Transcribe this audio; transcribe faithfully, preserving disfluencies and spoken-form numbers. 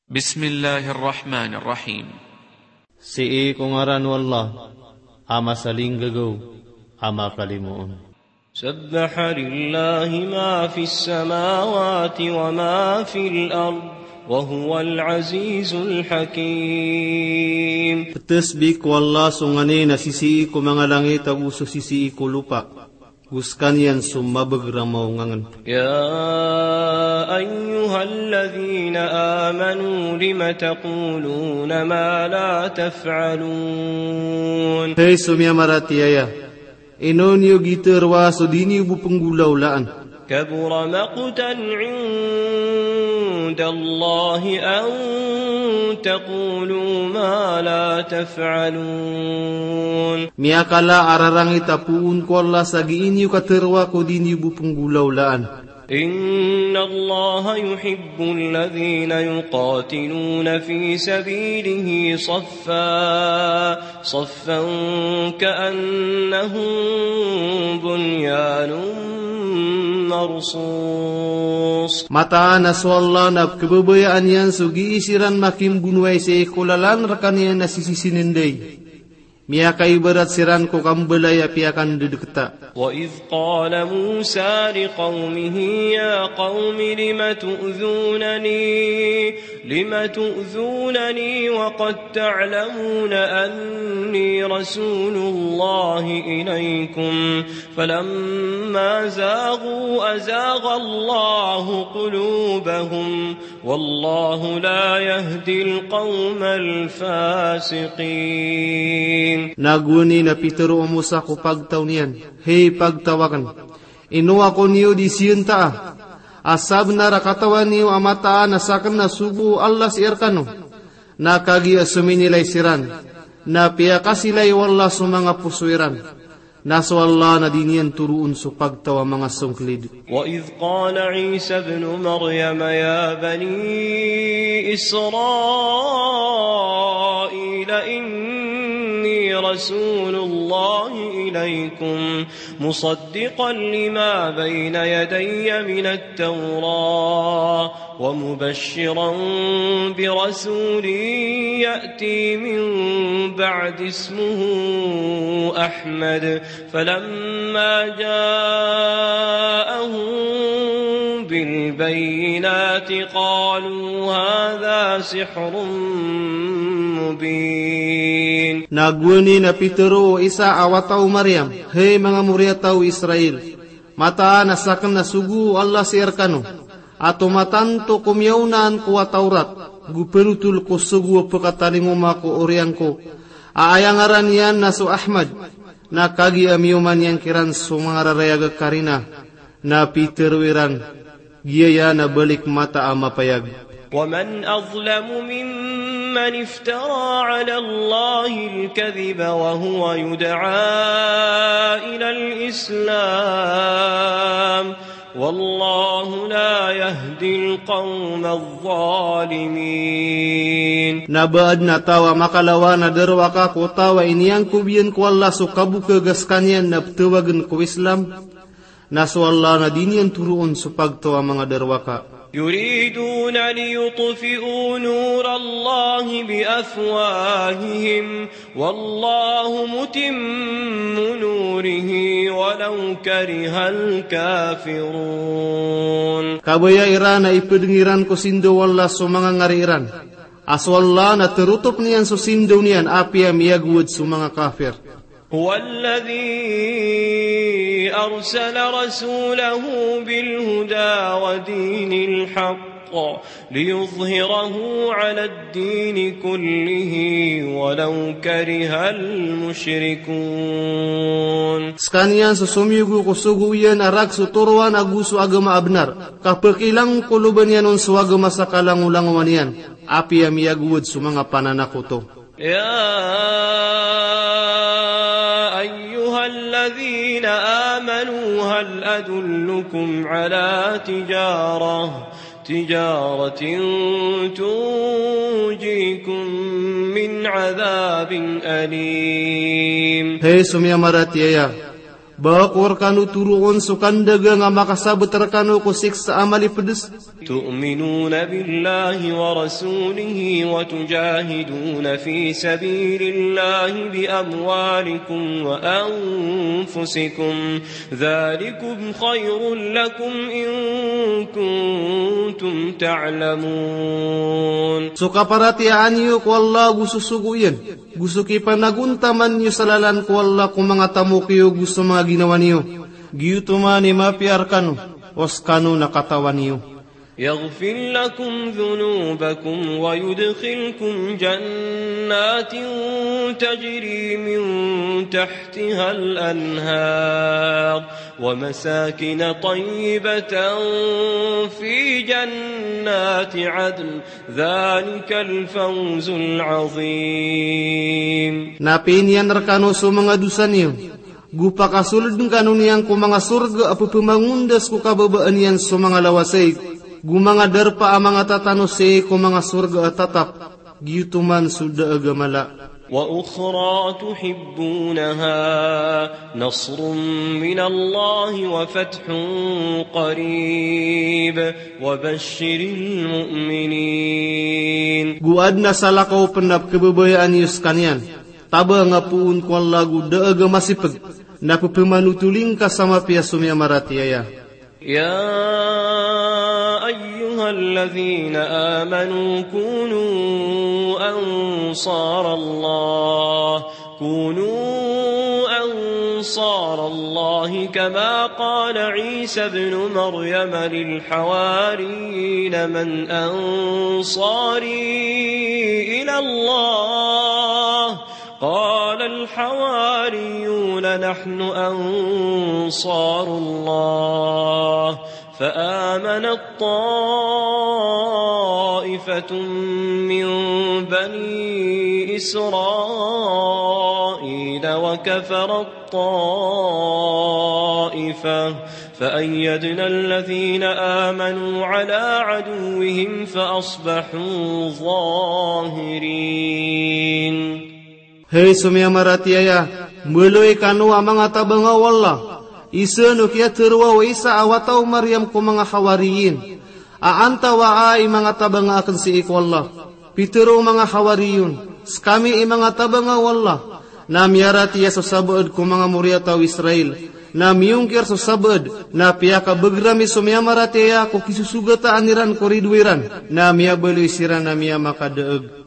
Bismillahir Rahmanir Rahim. Sii ko ngaran o Allah, a masalinggagaw, a makalimoon. سبح لله ما في السماوات وما في الأرض وهو العزيز الحكيم. Ptesbih ko Allah so nganin a sisii ko manga langit ago so sisii ko lopa. Go sekaniyan so mabeg a maongangen. يا أيها الذين آمنوا لم تقولون ما لا تفعلون. Hay so miyamaratiyaya, ino niyo gii teroa so di niyo bo penggolawlaan? كبر مقتا عند الله أن تقولوا ما لا تفعلون. Miyakala a rarangit a poon ko Allah sa gii niyo kateroa ko di niyo bo penggolawlaan. إن الله يحب الذين يقاتلون في سبيله صفا صفا كأنهم بنيان مرصوص. Mataan a so Allah na kebabayaan iyan so gii siran makimgonowai sii ko lalan rekaniyan a sisisinen dai. Miyakaibarat siran ko kambalay a piyakandedeketa. وإذ قال موسى لقومه يا قوم لم تؤذونني، لم تؤذونني وقد تعلمون أني رسول الله إليكم، فلما زاغوا أزاغ الله قلوبهم، والله لا يهدي القوم الفاسقين. Na gowani na pitero o Musa ko pagtaw niyan, hay pagtaw aken, ino ako niyo di siyenta a, a sabenar a katawan iyo a mataan a saken na sogo o Allah sii rekano. Na kagiya sominilay siran, na piyakasilay o Allah so manga poso iran. Na so Allah na di niyan toroon so pagtaw a manga songkelid. وإذ قال عيسى ابن مريم يا بني إسرائيل إني رسول الله إليكم مصدقا لما بين يدي من التوراة ومبشرا برسول يأتي من بعد اسمه أحمد، فلما جاءهم بالبينات قالوا هذا سحر مبين. Na gowani na pitero o Isa a wata o Maryam, hay manga moriyataw o Israel, mataan a saken na sogo o Allah sii rekano a tomatanto ko miyaonaan ko a Tawrat, go perotol ko sogo a pekatalingoma ko oriyan ko, a aya ngaran iyan na so Ahmad. Na kagiya miyoman iyan kiran so manga rarayag a karina, na pitero iran, giyaya na balik mata a mapayag. ومن أظلم ممن افترى على الله الكذب وهو يدعى إلى الإسلام والله لا يهدي القوم الظالمين. Na ba aden a taw a makalawan a darowaka ko taw a iniyangkob iyan ko Allah so kabokeg a sekaniyan na petawagen ko Islam, na so Allah na di niyan toroon so pagtaw a manga darowaka. يريدون ليطفئوا نور الله بأفواههم والله متم نوره ولو كره الكافرون. Kabaya iran a ipedeng iran ko sindaw o Allah so manga ngari iran, a so Allah na terotop niyan so sindaw niyan apiya miyagowad so manga kafir. هو الذي أرسل رسوله بالهدى ودين الحق ليظهره على الدين كله ولو كره المشركون. Sekaniyan so somiyogo ko sogo iyan a rakhs o toroan ago so agama a benar, ka pekilangkoloban iyan on so agama sa kalangolangowan iyan, apiya miyagowad so manga pananakoto. يا أيها الذين آمنوا هل أدلكم على تجارة، تجارة تنجيكم من عذاب أليم. Hay so miyamaratiyaya, Ba ko rkano toroon so kandagang a makasabet rkano ko siksa a malipds. تؤمنون بالله ورسوله وتجاهدون في سبيل الله بأموالكم وأنفسكم ذلكم خير لكم إن كنتم تعلمون. So kaparatiyayaan iyo ko Allah go so sogo iyan, go so kipanagontaman iyo sa lalan ko Allah ko manga tamok iyo go so manga ginawa niyo. Giyoto man i mapiya rkano, o skano na katawan iyo. يغفر لكم ذنوبكم ويدخلكم جنات تجري من تحتها الأنهار ومساكن طيبة في جنات عدن ذلك الفوز العظيم. Na piniyan rkano so manga dosa niyo, go pakasoldn kano niyan ko manga sorga a pphamangondas ko kababaan iyan so manga lawasayg, go manga darpa a manga tatanosayg ko manga sorga a tatap. Giyoto man so daag a mala. وأخرى تحبونها نصر من الله وفتح قريب وبشر المؤمنين. Go adn a salakaw pn a pkhababayaan iyo skaniyan, tabang a poon ko Allah go daag a masipg, na pphamanotoling ka sa mapiya so miyamaratiyaya. يا أيها الذين آمنوا كونوا أنصار الله، كونوا أنصار الله كما قال عيسى ابن مريم للحواريين من أنصاري إلى الله؟ قال الحواريون نحن أنصار الله، فآمنت طائفة من بني إسرائيل وكفرت طائفة، فأيدنا الذين آمنوا على عدوهم فأصبحوا ظاهرين. Hay so miyamaratiyaya, mbaloy kano a manga tabanga o Allah. Isa o kiyatharo o Isa a wata o Maryam ko manga Hawariyin a antawaa i manga tabanga akn sii ko Allah. Pitharo o manga Hawariyun, skami i manga tabanga o Allah na miyaratiya so sabaad ko manga moriyataw Israil, na miyongkir so sabaad, na piyakabagrami so miyamaratiyaya ko kisosogataan iran ko rido iran, na miyabaloy siran a miyamakadaag.